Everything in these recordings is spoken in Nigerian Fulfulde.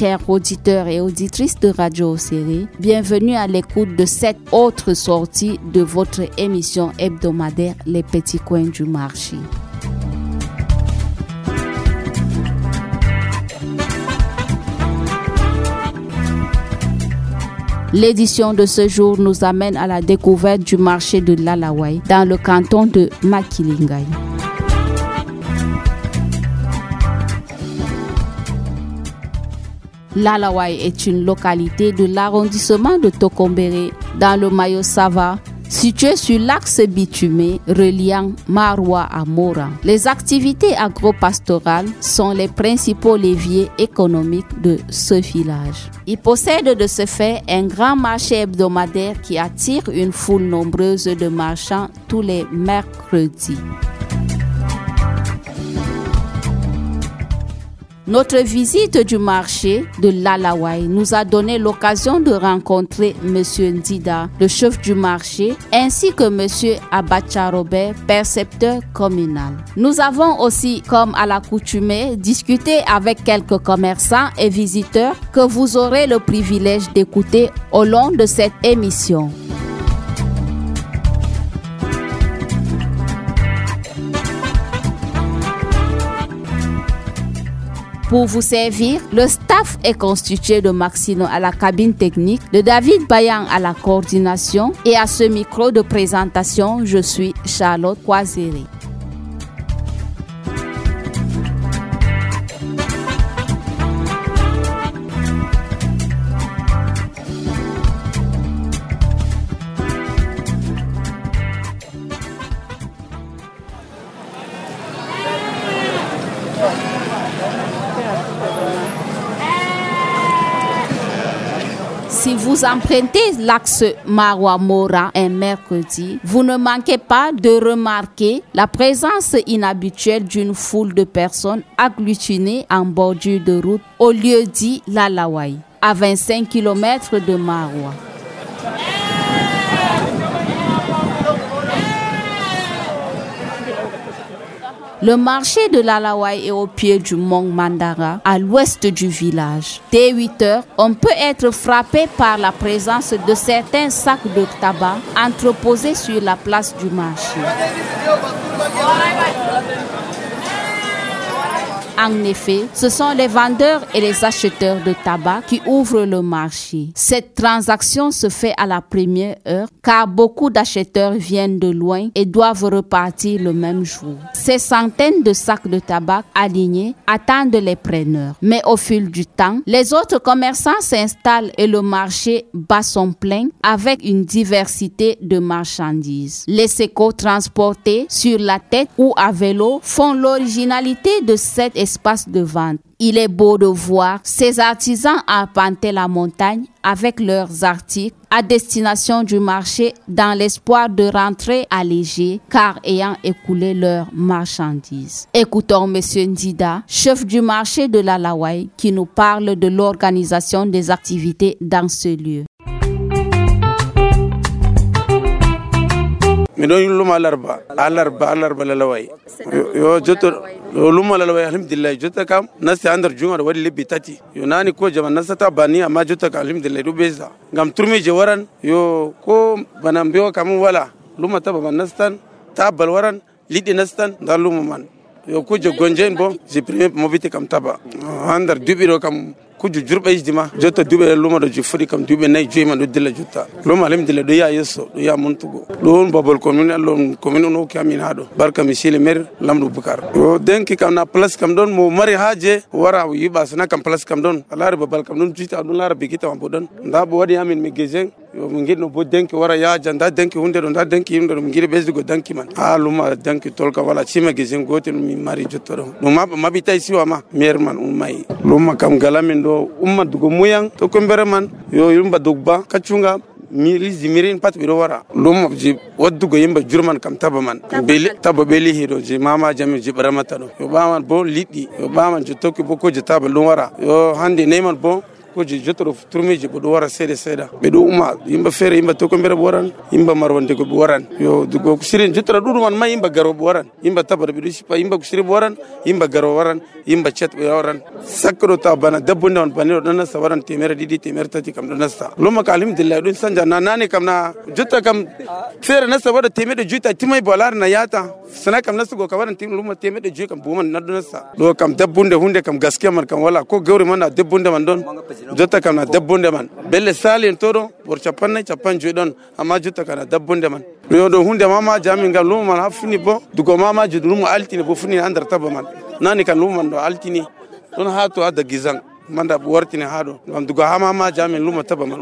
chers auditeurs et auditrices de Radio Oséré, bienvenue à l'écoute de cette autre sortie de votre émission hebdomadaire Les Petits Coins du Marché. L'édition de ce jour nous amène à la découverte du marché de l'Alaouaï dans le canton de Makilingay. L'Alaouaï est une localité de l'arrondissement de Tokombéré dans le Mayo-Sava, située sur l'axe bitumé reliant Maroua à Mora. Les activités agro-pastorales sont les principaux leviers économiques de ce village. Il possède de ce fait un grand marché hebdomadaire qui attire une foule nombreuse de marchands tous les mercredis. Notre visite du marché de l'Alaouaï nous a donné l'occasion de rencontrer M. Ndida, le chef du marché, ainsi que M. Abacha Robert, percepteur communal. Nous avons aussi, comme à l'accoutumée, discuté avec quelques commerçants et visiteurs que vous aurez le privilège d'écouter au long de cette émission. Pour vous servir, le staff est constitué de Maxino à la cabine technique, de David Bayan à la coordination et à ce micro de présentation, je suis Charlotte Kwazere. Si vous empruntez l'axe Maroua-Mora un mercredi, vous ne manquez pas de remarquer la présence inhabituelle d'une foule de personnes agglutinées en bordure de route au lieu dit l'Alaouaï, à 25 km de Maroua. Le marché de l'Alaouaï est au pied du mont Mandara, à l'ouest du village. Dès 8 heures, on peut être frappé par la présence de certains sacs de tabac entreposés sur la place du marché. En effet, ce sont les vendeurs et les acheteurs de tabac qui ouvrent le marché. Cette transaction se fait à la première heure car beaucoup d'acheteurs viennent de loin et doivent repartir le même jour. Ces centaines de sacs de tabac alignés attendent les preneurs. Mais au fil du temps, les autres commerçants s'installent et le marché bat son plein avec une diversité de marchandises. Les sécos transportés sur la tête ou à vélo font l'originalité de cet espace de vente. Il est beau de voir ces artisans arpenter la montagne avec leurs articles à destination du marché dans l'espoir de rentrer allégés car ayant écoulé leurs marchandises. Écoutons M. Ndida, chef du marché de l'Alaouaï, qui nous parle de l'organisation des activités dans ce lieu. Mido luma alarba lalawai yo joto luma lalawai alhamdulillah jota kam nasi andar junga wadi libbi tati yo nani ko jama nasata bani amma jota ka alhamdulillah do beza ngam turmi je waran yo ko banam bewa kam wala luma taba man nastan tabal waran lidi nastan dal luma man yo ko je gonjen bo je premier mobite kam taba andar dubiro kam kuju jurbe ijtima jota dube luma do jufuri kam dube nay joyma do dilla jutta luma alhamdulillah do ya yesso do ya montugo don babol commune allon commune no kamin hado barka misile mer lamdu bukar o denki kam na place kam don mo mari haje wara yiba sana kam place kam don alare babal kam don jita don lara bigita am bodon ndabo wadi amin mi gezen yo mo ngidno bo denki wara ya janda denki hunde do nda denki hunde do ngiri besdugo denki man ha luma denki tolka wala chima gezen gotel mi mari jottoro no mabita siwa ma mer man umay luma kam galamin do umma dugo muyang to ko man yo yumba dugba kacunga miri zimirin pat biro wara lum ji waddugo yimba jurman kam tabaman beli tababeli hiro ji mama jami ji baramata do yo baman bo liddi yo baman ji tokki boko ji taba lum wara yo hande neyman bo ko je jotoro turmeji bo do wara seeda be do uma yimba fere yimba to ko mbere boran yimba marwande ko boran yo dugo sirin jotoro dudu man ma yimba garo boran yimba tabara be do sipa yimba ko siri boran yimba garo waran yimba chet be waran sakro ta bana dabbunde on baniro don nasta waran temere didi temere tati kam don nasta loma ka alhamdulillah don sanja na nane kam na jotta kam fere nasta wada temede juta timay bolar na yata sana kam nasta go ka waran tim loma temede ju kam buman na don nasta do kam dabbunde hunde kam gaskiya man kam wala ko gawri man na dabbunde man don jotta kam na dabbunde man belle sali en todo bor chapanne chapanju don amma jotta kana dabbunde man yo do hunde mama jami ngam loma man hafni bo dugo mama ju luma altini bo funi andar taba man nani kan luma do altini don hato ada gizang manda wartini hado ngam dugo ha mama jami luma taba man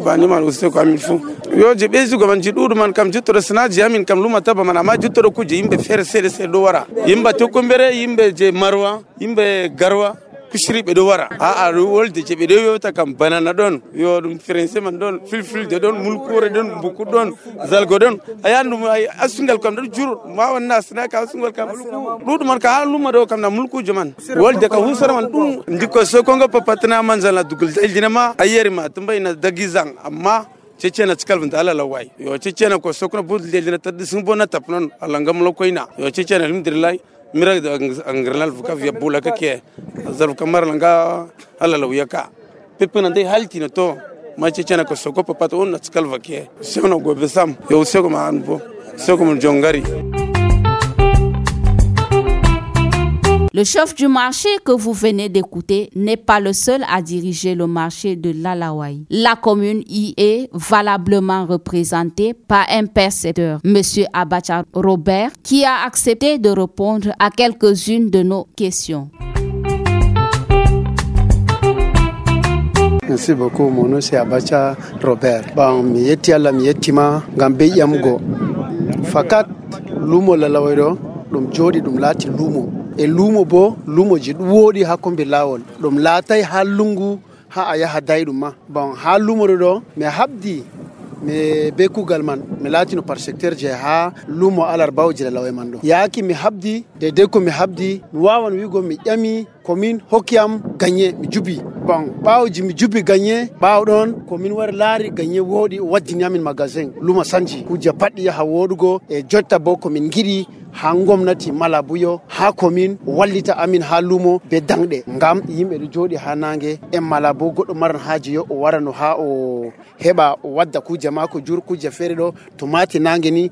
bani man uste ko amin fu yo je bezu go man jidudu man kam jutto sanaji amin kam luma taba man amma jutto kuje yimbe fere sede do wara yimba to kombere yimbe je marwa yimbe garwa kushiri be do wara a wolde je be do yota kam banana don yo dum français man don fil de don mulkore don buku don zalgo don ayandu ay asungal kam do jur ma wonna sna ka asungal kam dudu man ka luma do kam na mulku juman wolde ka husar man dum ndiko so kongo papatna man zala dugul jinama ayeri ma tumbay na dagizang amma cecena cikal vanta ala lawai yo cecena ko sokna budul de taddi sumbona tapnon ala ngam lokoina yo cecena alhamdulillah mira angranal fuka via bula kake zaru kamar langa ala lawiyaka pepena dai haltina to ma cecena ko soko papato on cikal vake sono go besam yo soko ma anbo soko mon jongari. Le chef du marché que vous venez d'écouter n'est pas le seul à diriger le marché de l'Alaouaï. La commune y est valablement représentée par un percepteur, M. Abacha Robert, qui a accepté de répondre à quelques-unes de nos questions. Merci beaucoup, mon nom c'est Abacha Robert. Bon, mi yetti Allah mi yettima ngam be yamgo. Fakat lumo lalawairo dum jodi dum lati lumo. E lumo bo lumo ji wodi ha kombe lawol dum latay ha lungu ha aya ha daydum ma bon ha lumo do me habdi me be kugal man me latino par secteur je ha lumo alar bawji lawe man do yaaki mi habdi de ko mi habdi mi wawan wigo mi yami commune hokiam gagné mi jubi bon bawji mi jubi gagné baw don commune war laari gagné wodi waddini amin magasin luma sanji kuje paddi ha wodugo e jotta bo ko min gidi ha gomnati malabuyo ha commune wallita amin ha lumo be dangde ngam yimbe do jodi ha nange en malabo goddo maran haaji yo o warano ha o heba o wadda kuje mako jur kuje fere do to mati nange ni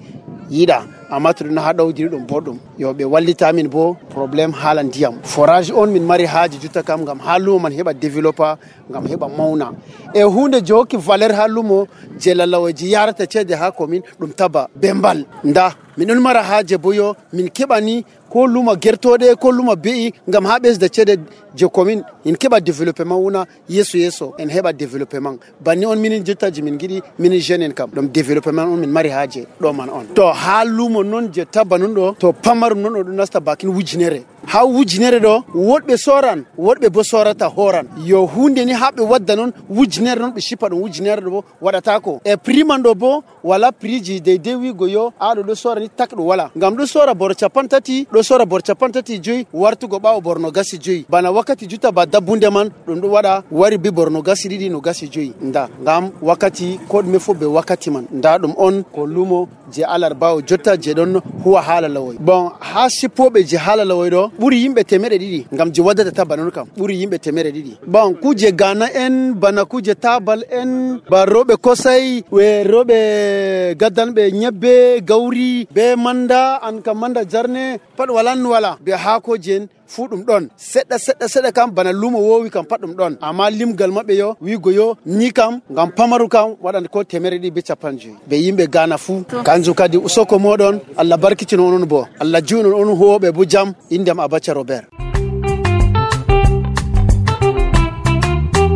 yida amatu na ha dawdi dum boddum yo be wallita amin bo problem halan diam forage on min mari haaji jutta kam ngam ha lumo man heba developer ngam heba mauna e hunde joki valeur ha lumo jelalawaji yarata cede ha commune dum taba bembal nda min mara haaje boyo min kebani ko luma gertode ko luma be'i ngam ha bes da cede je commune in keba development wona yeso en heba development banni on min jetta ji min gidi min jeune kam dum development on min mari haaje do man on to ha lumo non je tabanun do to pamarum non do nasta bakin wujinere ha wujinere do wodbe soran wodbe bo sorata horan yo hunde ni habe wadda non wujinere non be shipa do wujinere do wadata ko e primando bo wala priji de dewi goyo ado do sora ni takdo wala ngam do sora bor chapantati do sora bor chapantati joy wartu go bawo borno gasi joy bana wakati juta ba dabunde man dum do wada wari bi borno gasi didi no gasi joy nda ngam wakati ko me fo be wakati man nda dum on ko lumo je alar bawo jotta je don huwa halalawoy bon ha sipobe je halalawoy do buri yimbe temere didi ngam je wadata tabanon kam buri yimbe temere didi bon kuje gana en bana kuje tabal en ba robe kosai we robe gadan be nyebbe gawri be manda an kam manda jarne pad walan wala be hako jen fudum don sedda kam bana lumo wowi kam padum don amma limgal mabbe yo wi goyo ni kam ngam pamaru kam wadan ko temere di be chapanji be yimbe gana fu kanju kadi usoko modon Allah barkitino onon bo Allah juno on hobe bu jam indem Abacha Robert.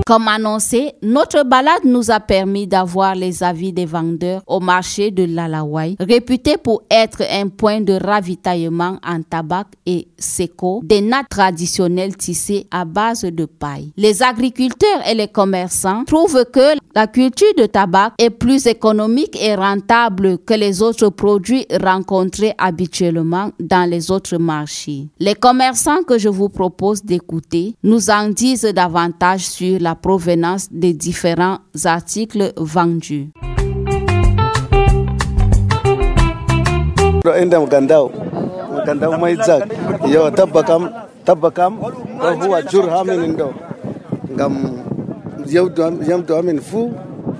Comme annoncé, notre balade nous a permis d'avoir les avis des vendeurs au marché de l'Alaouaï, réputé pour être un point de ravitaillement en tabac et séco, des nattes traditionnelles tissées à base de paille. Les agriculteurs et les commerçants trouvent que la culture de tabac est plus économique et rentable que les autres produits rencontrés habituellement dans les autres marchés. Les commerçants que je vous propose d'écouter nous en disent davantage sur la la provenance des différents articles vendus. Indam gandao mai zak yo tabakam ko huwa jur hamin ndo ngam yam do amin fu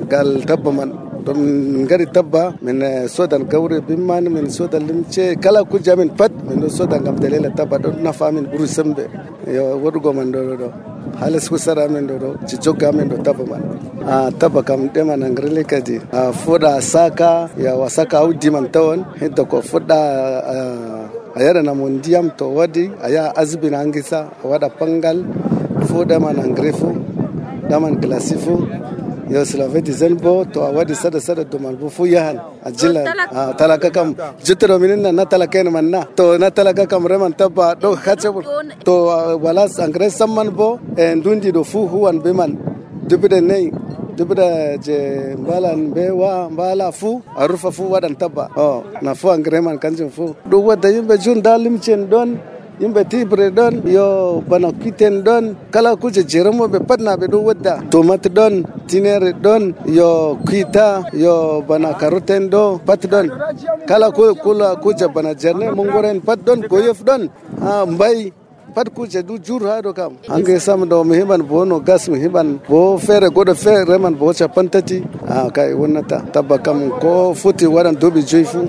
gal tabbaman dum ngari tabba min sodan gawre bimman min sodan limce kala ku jamin pat min sodan ngam dalela tabba do na famin buru sembe yo wodugo man do halas ku sara men do ci jogga men do tabbaman tabba kam de man ngrele kadi foda saka ya wasaka awdi man tawon heddo ko foda ayara na mondiyam to wadi aya azbina angisa wada pangal foda man ngrefu daman glasifu yo slave dizenbo to wadi sada do man bu fu yahan ajilla talaka kam jitro minna na talaka en manna to na talaka kam reman tabba do khachebu to wala angres samman bo en dundi do fu huwan be man dubida nei dubida je mbalan be wa mbala fu arufa fu wadan tabba na fu angreman kanjum fu do wada yimbe jun dalim chen don yimbe tibre don yo bana kiten don kala kuje jeramo be patna be do wadda tomate don tinere don yo kita yo bana karoten do pat don kala kula kuje bana jerne mongoren pat don goyof don mbay pat kuje du jur hado kam ange sam do mi heban bono gas mi heban bo fere godo fere man bo chapantati kai wonnata tabba kam ko futi wadan dobi joyfu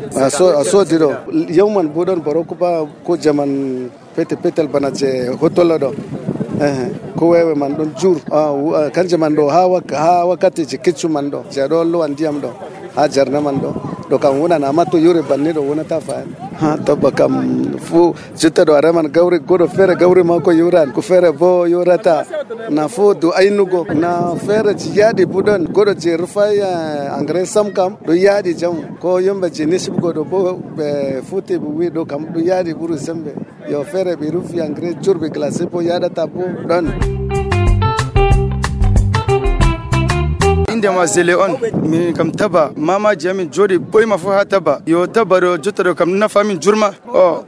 so dido yawman bodon baroko ba ko jaman petel bana je hotola do ko wewe man don jur kanje man do ha wakati je kiccu man do je do lo andiyam do ha jarna man do kam wona na mato yure banne do wona ta fa tabba kam fu jutta do araman gawri godo fere gawri ma ko yuran ko fere bo yurata na fu do ainugo na fere ji yadi budon godo je rufaya angres sam kam do yadi jam ko yombe je nisib godo bo futi bu wi do kam do yadi buru sembe yo fere bi rufi angres jurbe classe po yada tabu don ma zele on mi kam taba mama jami jodi boy ma fo ha taba yo taba do jotado kam na fami jurma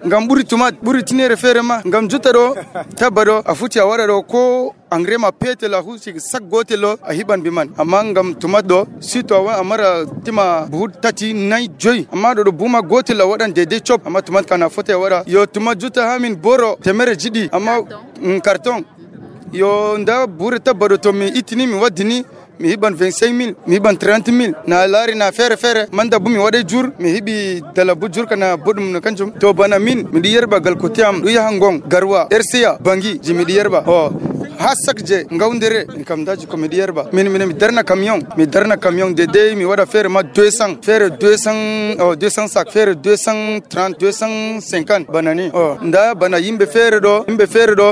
ngam buri tinere fere ma ngam jotado taba do afuti awara do ko angrema pete la husi sak gotelo a hiban biman amma ngam tumaddo sito wa amara tima buhut tati nay joy amma do buma gotelo wadan dede chop amma tumad kana fote wara yo tumad juta hamin boro temere jidi amma carton yo nda buri taba do to mi itini mi wadini mi hiban 25000 mi hiban 30000 na lari na fere manda bumi wade jur mi hibi dala bu jur kana bodum no kanjum to bana min mi di yerba gal ko tiam du yahangong garwa ersiya bangi ji mi di yerba hasak je ngawndere kam daji ko mi di yerba min mi darna camion de mi wada fere ma 200 fere 200 sak fere 230 250 banani nda bana yimbe fere do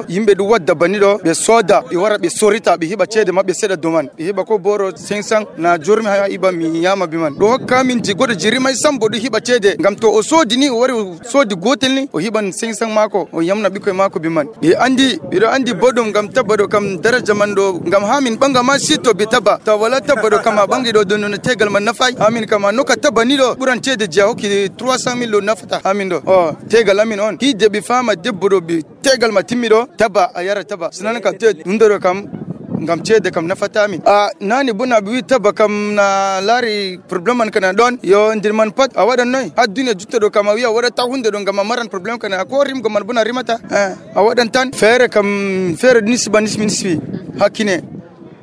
yimbe du wadda bani do be soda be wara be sorita be hiba cede mabbe seda doman be hiba ko boro 500 na jurmi ha iba mi yama biman do hokka min ji godo jiri mai sambo do hiba cede ngam to o sodi ni o wari sodi gotel ni o hiban 500 mako o yamna bikoy mako biman be andi bodum ngam tabado kam daraja mando ngam hamin banga ma sito be taba to wala tabado kama bangi do don no tegal man nafai hamin kama no ka tabani do buran cede je hoki 300,000 lo nafata hamin do tegal amin on hide bi fama debbo bi tegal ma timido taba ayara taba sunan ka te ndoro kam ngam cede kam nafata min nani buna bi taba kam na lari problem man kana don yo ndir man pat a wadan noy aduna jutta do kam wiya wada ta hunde do ngam maran problem kana ko rim go man buna rimata a wadan tan fere nisbi hakine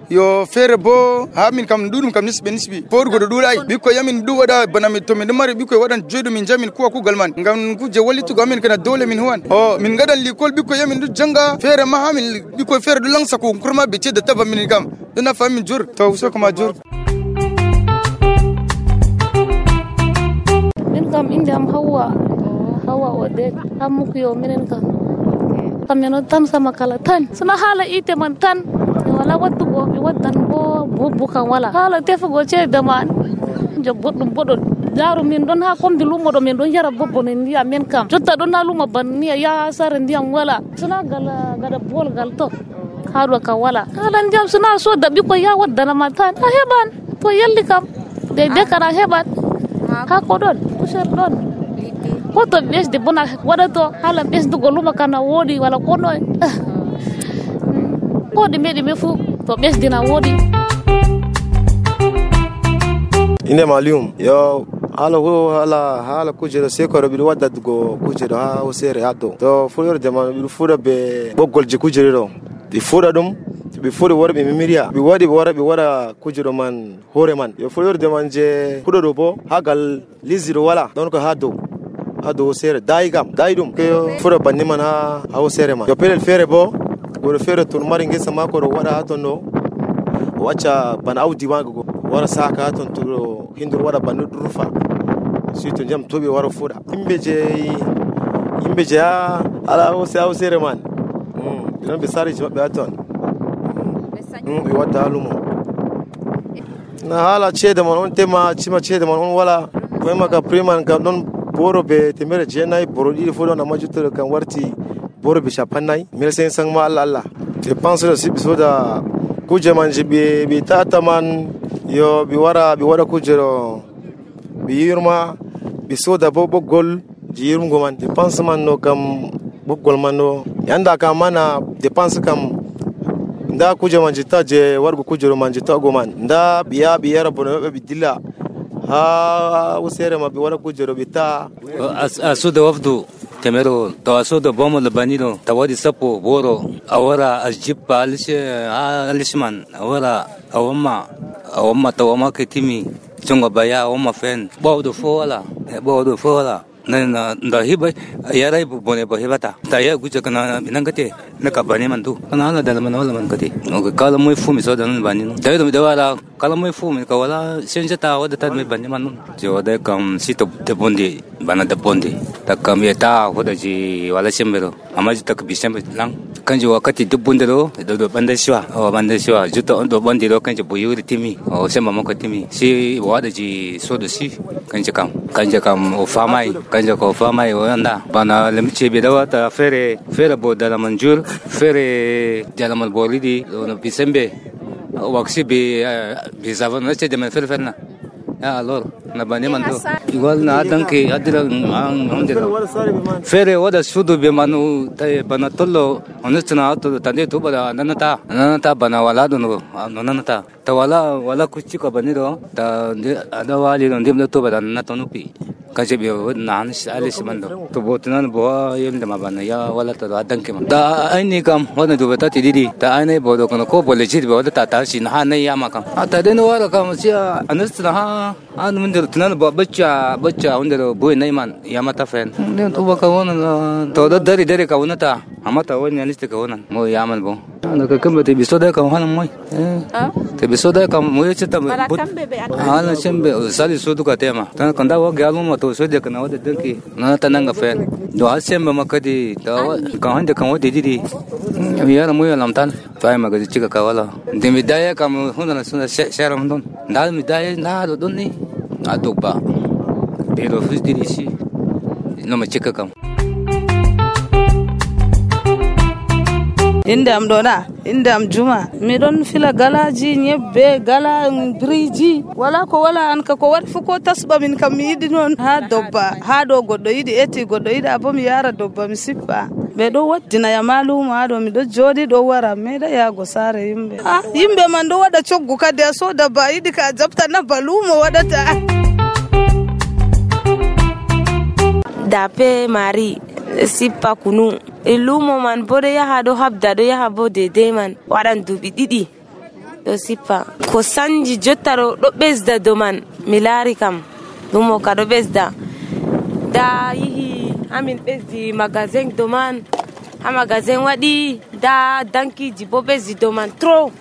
yo fere bo hamin kam dudum kam nisbi porgo do dulai biko yamin du wada banami to min mari biko wadan jodo min jamin ko galman ngam ku je walitu gamin kana dole min huwan min gadan likol biko yamin du janga fere ma hamin biko fere du langsa ko kurma be ce da taba min kam duna famin jur to so kuma jur min kam indam hawa wade amuku yo minen kam kameno tan sama kala tan suna hala ite man tan wala wattu go be waddan bo bukan wala hala tefugo ce daman jobbodum bodon jaru min don ha kombi lumo do min don yara bobbo nen ndiya men kam jotta don na lumo ban ni ya sare ndiyam wala suna gada bol gal to haɗo ka wala halan jam suna so da biko ya waddana matan a heban to yalli kam de kana heban ha ko don kusher don ko to besde bona wada to halan besdu go luma kana wodi wala ko noy ko de medi me fu to ɓesdina woodi. Inde Malium yo hala kujero sai ko biɗo wadda go kujero ha hosere hatto to fuɗorde man biɗo fuɗa be ɓoggolje kujero ɗo ɓe fuɗa ɗum ɓe fuɗi wara ɓe mimiriya ɓe waɗi ɓe waɗa kujero man hoore man yo fuɗorde man je fuɗoɗo bo ha gal lisdiɗo wala ɗon ko ha dow hosere dayi ɗum ko fuɗa banni man ha hosere man yo pelel feere bo goɗo feere to mari ngesa mako ɗo waɗa ha ton ɗo o acca bana awdi maga go wara saka ha ton to hindor waɗa banni ɗo rufa surtout jam toɓe wara fuɗa yimɓe je ha ala hosere man ɗon ɓe sariji maɓɓe ha ton ɓe wadda ha lumo na hala ceede man on tema cima ceede man on wala koyema ka prix man kam ɗon borobe 1,900 boro ɗiɗi fu ɗon amma juttuɗo kam warti borobe 50 1,500 ma Allah je pense ɗo siɓe soda kuje man je ɓe tata man yo ɓe waɗa kuje ɗo ɓe yirma ɓe soda bo ɓoggol je yirmgo man dépense man no kam ɓoggol man no yanda kam mana dépense kam nda kuje man jitta je wargo kujero man jitta go man nda ɓe yara bono ɓe dilla ha usere ma ɓe waɗa kujero ɓe ta a soda wafdu temero to a soda bomo labanino tawadi sappo boro a wara a jippa alisman a wara a wamma tawama ke timi jonga baya a wamma fen ɓawɗo fo wala na nda hiba yarai bone ba hibata ta ya guje kana binangate na kabane man do kana hala dal man wala man kate no kala moy fumi so dan bani no dai do wala kala moy fumi ka wala senja ta wada ta me bani man je wada kam sito de bonde bana de bonde ta kam eta hoda ji wala sembero amma ji ta bi sembe lang kanji wakati de bonde do banda shiwa juta on do bonde do kanji boyuri timi o semba mako timi si wada ji so do si kanji kam o famai kanja ko fama yo anda bana lemche bedawa ta fere bo dala manjur fere dala mal bolidi no bisembe waksi bi zavan nace de man fere na ya lor na bani man do igual na danke adira onde fere wada sudu be manu tay bana tollo onestna to tande to bada nanata bana wala do no nanata ta wala kuchi ka bani do da adawali do ndem to bada na to nupi kaje be nan alis mando to botnan bo yelde mabana ya wala to adanke man da aini kam wona do beta tididi ta aini bodo kono ko bole jid be wala ta sin ha ne ya makam ata den wala kam sia anastna ha an mun der tunan bo bacca wanda boy nay man ya mata fen den to baka wona to da dari ka wona ta amata woni aniste ka wona mo ya man bo na ka kambe te bisoda ka hanan moy te bisoda ka mo yeta hala sembe sali sodu ka tema tan kanda wa galu to so de kana wada danki na tananga fen do asemba makadi da kan hande kan wada didi yara mu yalam tan fay magaji cika ka wala de midaya kam hunda suna shara hundon da midaya na do donni adobba pero fis didi si no ma cika kam inde am juma mi don fila galaji nyebbe gala briji wala ko wala an ka ko wadi fuko tasba min kam mi yidi non ha dobba ha do goddo yidi eti goddo yidi abo mi yara dobba mi sippa be do waddina ya maluma do mi do jodi do wara meda ya go sare yimbe man do wada coggu kade so dabba yidi ka jabta na baluma wadata dape mari sippa kunu ilumo man bode yaha do habda do yaha bo de man wadan dubi didi do sippa ko sanji jottaro do besda do man milari kam lumo ka do besda da yihi amin besdi magazin do man ha magazin wadi da danki jibo besdi do man tro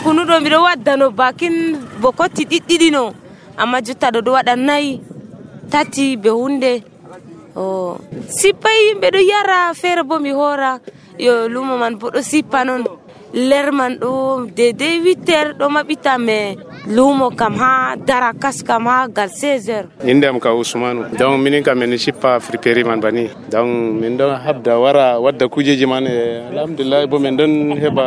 kunu do mi do wadda no bakin bokoti didi no amma jottaro do wada nayi tati be hunde sipai be do yara fere bo mi hora yo lumo man bo do sipa non ler man do de 8h do mabita me lumo kam ha dara kas kam ha gal 16h indam ka usmanu donc minin kam men sipa friperi man bani donc min do habda wara wadda kujeji man alhamdulillah bo men don heba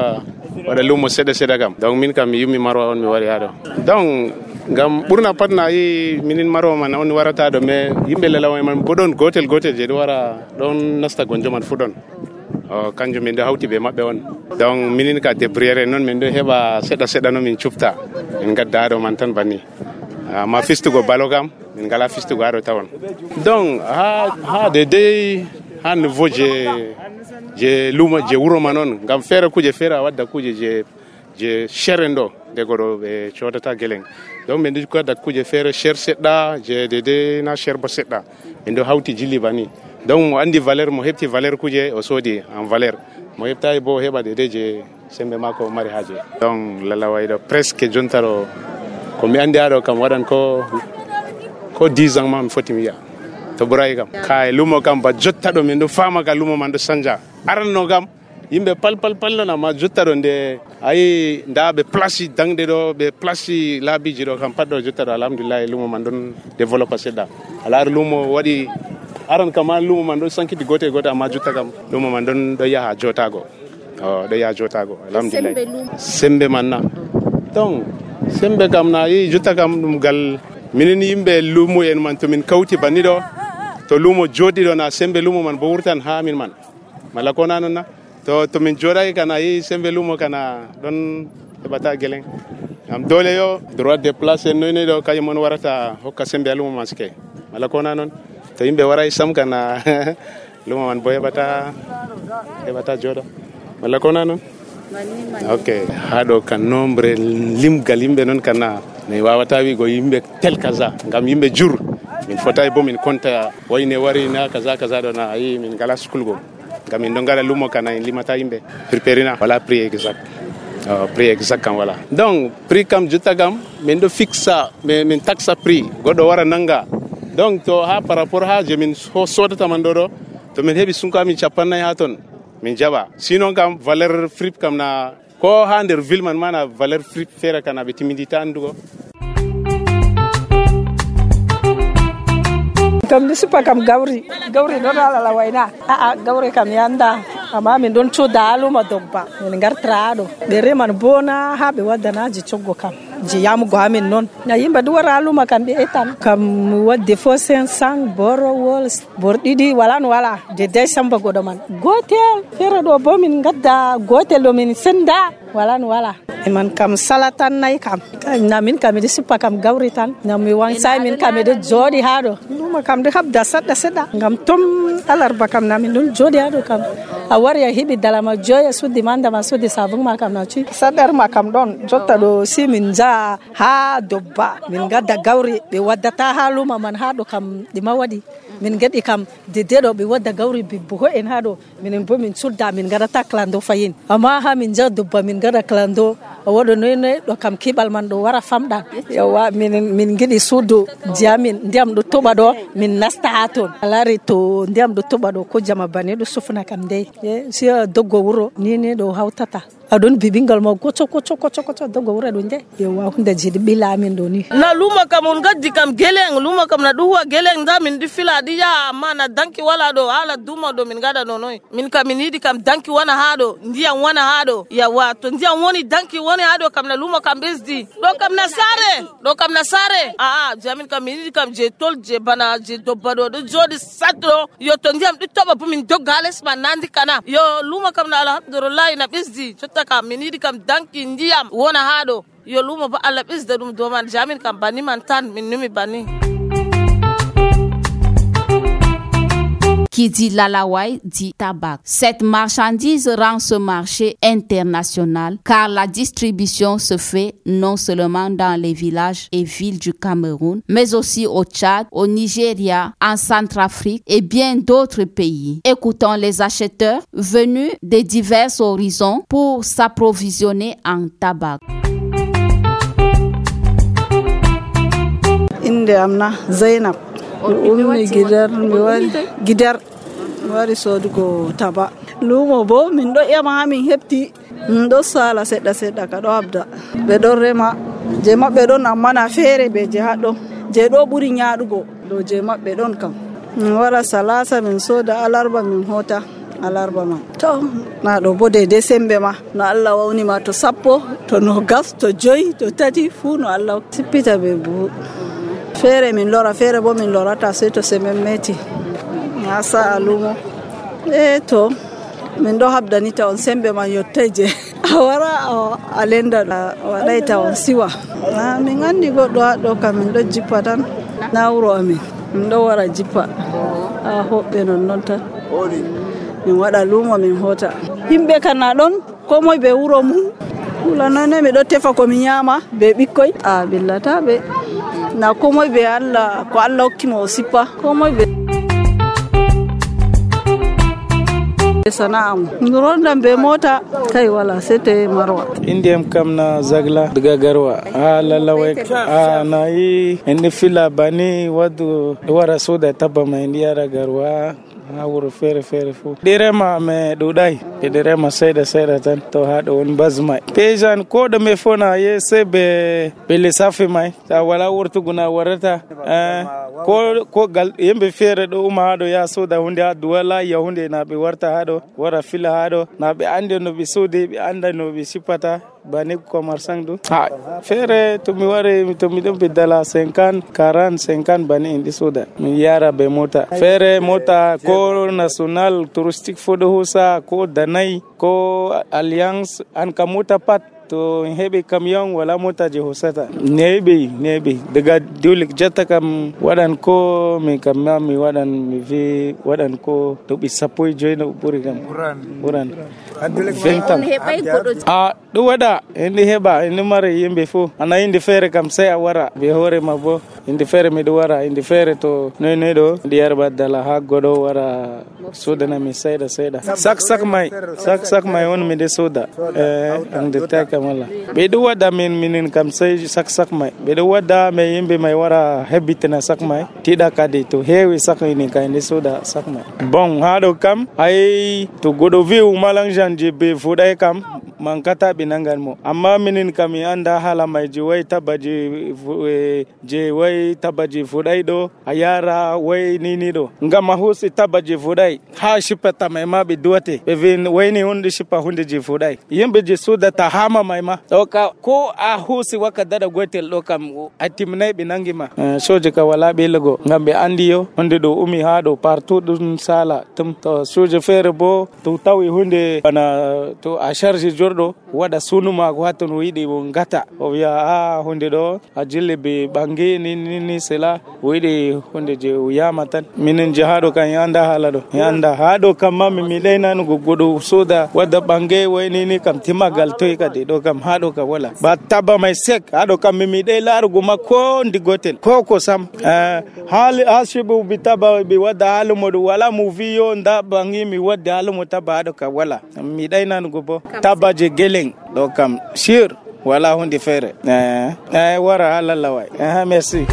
wada lumo seda kam donc min kam yumi marwa on mi wari hado donc gam burna patna yi minin maro man on warata do me yimbe lelaw man bodon gotel je do wara don nasta gonjo man fudon kanjum min ɗo hawti ɓe maɓɓe on. Donc minin ka débriere noon min ɗo heɓa seɗa no min cufta min gadda ɗo man tan banni. Ma fistugo balo kam min ngala fistugo haɗo tawon. Donc ha dedei ha niveau je lumo je wuro man on ngam feere kuje feere a wadda kuje je sheren ɗo dego ɗo ɓe codata geleng. Donc min ɗo wadda kuje feere cher seɗɗa je dedei na cher bo seɗɗa min ɗo hawti jilli banni. Donc mo andi valeur mo heɓti valeur kuje o soodi en valeur mo heɓtayi bo heɓa dedei je sembe mako mari haje. Donc lalaway ɗo presque jontaro ko mi andi aɗo kam waɗan ko 10 ans ma mi foti mi yi'a to ɓurayi kam kay lumo kam ba jotta ɗo min ɗo fama ka lumo man ɗo sanja aranno kam yimɓe palnona ma jotta ɗo nde ayi nda ɓe place dangde ɗo ɓe place laabiji ɗo kam pat ɗo jotta ɗo alhamdulillah lumo man ɗon développe seɗɗa alaari lumo waɗi aran kam ma lumo man ɗo sankiti gote amma jotta kam lumo man ɗo yaha jotago ɗo yaha jotago alhamdulillah sembe man na donc sembe kam na yi jotta kam ɗum gal minin yimɓe lumo en man to min kawti banni ɗo to lumo joɗi ɗo na sembe lumo man bo wurtan ha min man mala ko na non na to min joɗay kana yi sembe lumo kana ɗon heɓata geleng am dole yo droit de place en noyne ɗo kañum on warata hokka sembe a lumo man sike mala ko na non to yimɓe waray sam kana lumo man bo heɓata joɗo mala ko na non ok haɗo kan nombre limgal yimɓe noon kana mi wawata wigo yimɓe tel kaza ngam yimɓe jur min fotay bo min konta wayne wari na kaza ɗo na ayi min ngala sukulgo ngam min ɗo ngala lumo kana en limata yimɓe prépérina wala prix exact kam wala donc prix kam jotta kam min ɗo fixa min taxa prix goɗɗo wara nanga donc to ha par rapport ha je min sodata man ɗo to min heɓi sunko amin 50 ha ton min jaɓa sinon kam valeur fripe kam na ko ha nder ville man mana valeur fripe feere kana ɓe timidita andugo kam ni supa kam gawri ɗon alala wayna gawri kam yanda amma min ɗon coda aluma dogba min gartara ɗo ɓe reman bona ha ɓe waddanaji coggo kam je yamugo amin noon na yimɓe ɗo wara aluma kam ɓe etan kam wadde fo 500 borowol bor ɗiɗi wala no wala de day samba goɗo man gotel feere ɗo bo min gadda gotel ɗo min senda wala no wala man kam salatan nayi kam na min kam miɗo sippa kam gawri tan ngam mi wansay min kam miɗo jooɗi ha ɗo luma kam ɗo habda seɗɗa ngam tom alarba kam na min ɗon jooɗi ha ɗo kam a wari a heɓi dalama joyi a suddi mandama suddi sabun ma kam na cuyi saɗɗer ma kam ɗon jotta ɗo si min jaa ha dobba min gadda gawri ɓe waddata ha luma man ha ɗo kam ɗima waɗi min gaɗi kam dedeɗo ɓe wadda gawri bibboho en ha ɗo minen bo min sudda min gadata clando fayin amma ha min jaa dobba min gada clando o waɗo noynoy ɗo kam kiɓal man ɗo wara famɗa yawa min giɗi suudu jiyamin ndiyam ɗo toɓa ɗo min nasta ha toon alari to ndiyam ɗo toɓa ɗo ko jama bane ɗo sufna kam dey si doggo wuro ni ɗo hawtata aɗon bibingal ma goco doggo wuro ɗo nde yawa hunde jiɗi ɓila amin ɗo ni na luma kam on gaddi kam geleng luma kam na ɗo huwa geleng da min ɗi fila ɗi yaha amma na danki wala ɗo hala duma ɗo min gaɗa ɗo noy min kam min yiɗi kam danki wona ha ɗo ndiyam wona ha ɗo yawa to ndiyam woni danki woni ha ɗo kam na luma kam ɓesdi ɗo kam na sare jamin kam min yiɗi kam je tol je bana je dobba ɗo joɗi satɗo yo to ndiyam ɗi toɓa bo min dogga ha les man nandi kana yo luma kam na alhamdulillahi na ɓesdi jotta kam min yiɗi kam danki ndiyam wona ha ɗo yo luma bo Allah ɓesda ɗum dow man jamin kam banni man tan min numi banni. Qui dit lalawai dit tabac. Cette marchandise rend ce marché international car la distribution se fait non seulement dans les villages et villes du Cameroun, mais aussi au Tchad, au Nigeria, en Centrafrique et bien d'autres pays. Écoutons les acheteurs venus de divers horizons pour s'approvisionner en tabac. Inde amna Zainab. Ummi gidar mi wari sodugo taba lumo bo min ɗo ƴama ha min heɓti min ɗo sala seɗɗa ka ɗo habda ɓe ɗon rema je maɓɓe ɗon amma na feere be je haɗɗo je ɗo ɓuri ñaɗugo ɗo je maɓɓe ɗon kam min wara salasa min soda alarba min hota alarba man to na ɗo bo de sembe ma no Allah wawni ma to sappo to no gas to joyi to tati fu no Allah sippita be buhu feere min lora feere bo min lorata sey to semen meti ha sa'a lumo to min ɗo habdanita on sembe man yottai je a wara a lenda waɗayta on siwa. Min andi goɗɗo haɗo kam min ɗo jippa tan na wuro amin min ɗo wara jippa a hoɓɓe non tan min waɗa lumo min hota. Himɓe kana ɗon ko moy be wuro mum hulanone mi ɗo tefa ko mi nyama be ɓikkoy a billata ɓe na ko moy be Allah ko Allah hokkimo o sippa ko moy be sana'am rondan be mota kai wala sai ta marwa. Indiyam kam na zagla daga garwa a lalawai a na yi indi fila bani wadu wara so da taba mai indiyara garwa a wuro fere fu direma me dudai direma sai da tan to hado on bazmai pejan ko da me fona ye se be lissafi mai ta wala wurtu guna warata ko gal yembe fere do uma hado ya so da hunde duwala ya hunde na be warta hado wara fila hado na be ande no be sode be anda no be sipata bani commerçant do fere to mi ware to mi don be dala 50 bani indi soda mi yara be mota fere mota ko national touristic fodo hosa ko danai ko alliance an ka mota pat to hebe camion wala mota je hosata nebe daga dulik jata kam wadan ko mi kamma mi wadan mi vi wadan ko to bi sapoy joino buri kam buran ventam a do wada indi heba indi mare yimbe fo ana indi fere kam sai a wara be hore mabo indi fere mi do wara indi fere to ne do ndi yarba dala ha godo wara soda na mi sayda sak mai on mi de soda and the take wala be do wada min kam sai sak mai be do wada me yimbe mai wara hebitna sak mai tida kade to hewi sak ni kan de soda sak mai bon hado kam ai to godo view malang janje be fudai kam mankata binangan mo amma minin kam anda hala mai jiwai tabaji fudai do ayara wai nini do ngama husi tabaji fudai ha shipata mai ma be duwate be vin wai ni hunde shipa hunde ji fudai yembe je soda ta hama mai ma doka ko a husi waka dada gotel do kam atimnai binangi ma soje ka wala be lego ngambe andi yo hunde do umi ha do partout dun sala tum to soje fere bo to tawi hunde bana to a charge jordo wada sunuma ko haton wiidi bo ngata o wiya hunde do a jille be bangi ni sela wiidi hunde je uyama tan minen jahado kan yanda halado yanda hado kam mami mi dayna no godo soda wada bangi wayni ni kam timagal toy kadi do kam hado ka wala ba taba mai sek hado kam mi day larugo makko ndi gotel ko sam hali asibu bitaba bi wada halumo wala movie nda bangi mi wada halumo taba hado ka wala mi dayna no go bo taba je geleng do kam sure wala hunde fere wara halalawai merci.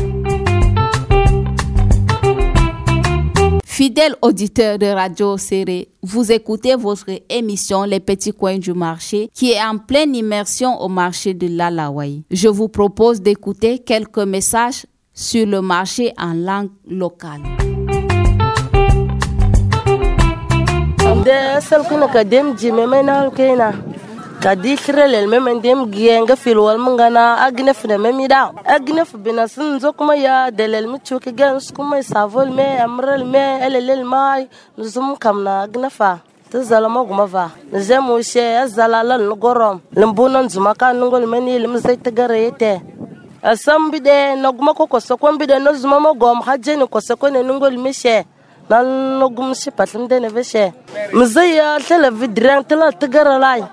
Fidèles auditeurs de Radio Séré, vous écoutez votre émission Les Petits Coins du Marché qui est en pleine immersion au marché de l'Alawaï. Je vous propose d'écouter quelques messages sur le marché en langue locale. kadi kirelel memen dem gienga filwal mangana agnef ne memida agnef binasin zokuma ya delel mi chuki gens kuma savol me amrel me elelel mai nuzum kamna agnafa tazalama guma va zemu she azalala ngorom lembunan zumaka ngol meni lim zaita garete asam bide noguma ko sokon bide no zuma mo gom hajeni ko sokon ngol mishe nan nogum si patlim de ne veshe mzaya televidran tela tigaralai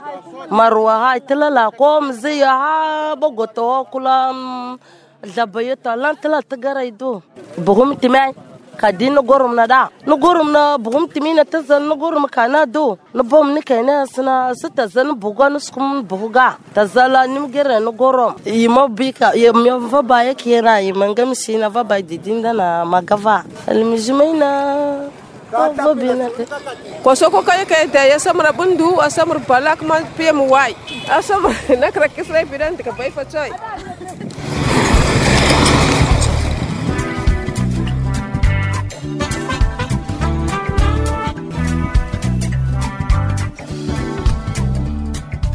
marwa hay tela la kom zaya ha bogoto kula zabayeta lan tela tigaraido bugum timai kadin gorum na da no gorum na bugum timina tazan no gorum kana do no bom ni kaina sina sita zan bugan skum buga tazala nim gere no gorum yimo bika yim va ba yake ra yimangam sina va ba didinda na magava almijmaina kosoko kay te ya samra bundu asamr balak ma pem wai asamr nakra kisrai pidan ka bai fachoy.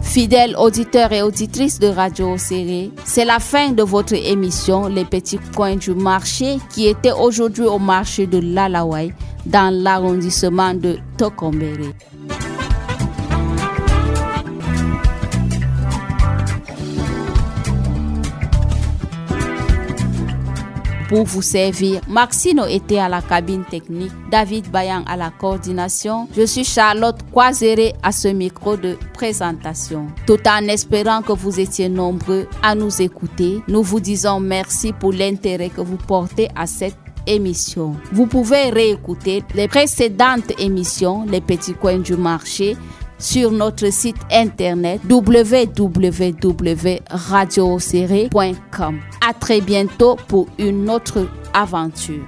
Fidèles auditeurs et auditrices de Radio Séré, c'est la fin de votre émission Les Petits Coins du Marché qui était aujourd'hui au marché de l'Alawaï dans l'arrondissement de Tokombéré. pour vous servir. Maxino était à la cabine technique, David Bayan à la coordination. Je suis Charlotte Croiséré à ce micro de présentation. Tout en espérant que vous étiez nombreux à nous écouter, nous vous disons merci pour l'intérêt que vous portez à cette émission. Vous pouvez réécouter les précédentes émissions, Les Petits Coins du Marché, sur notre site internet www.radioserré.com. À très bientôt pour une autre aventure.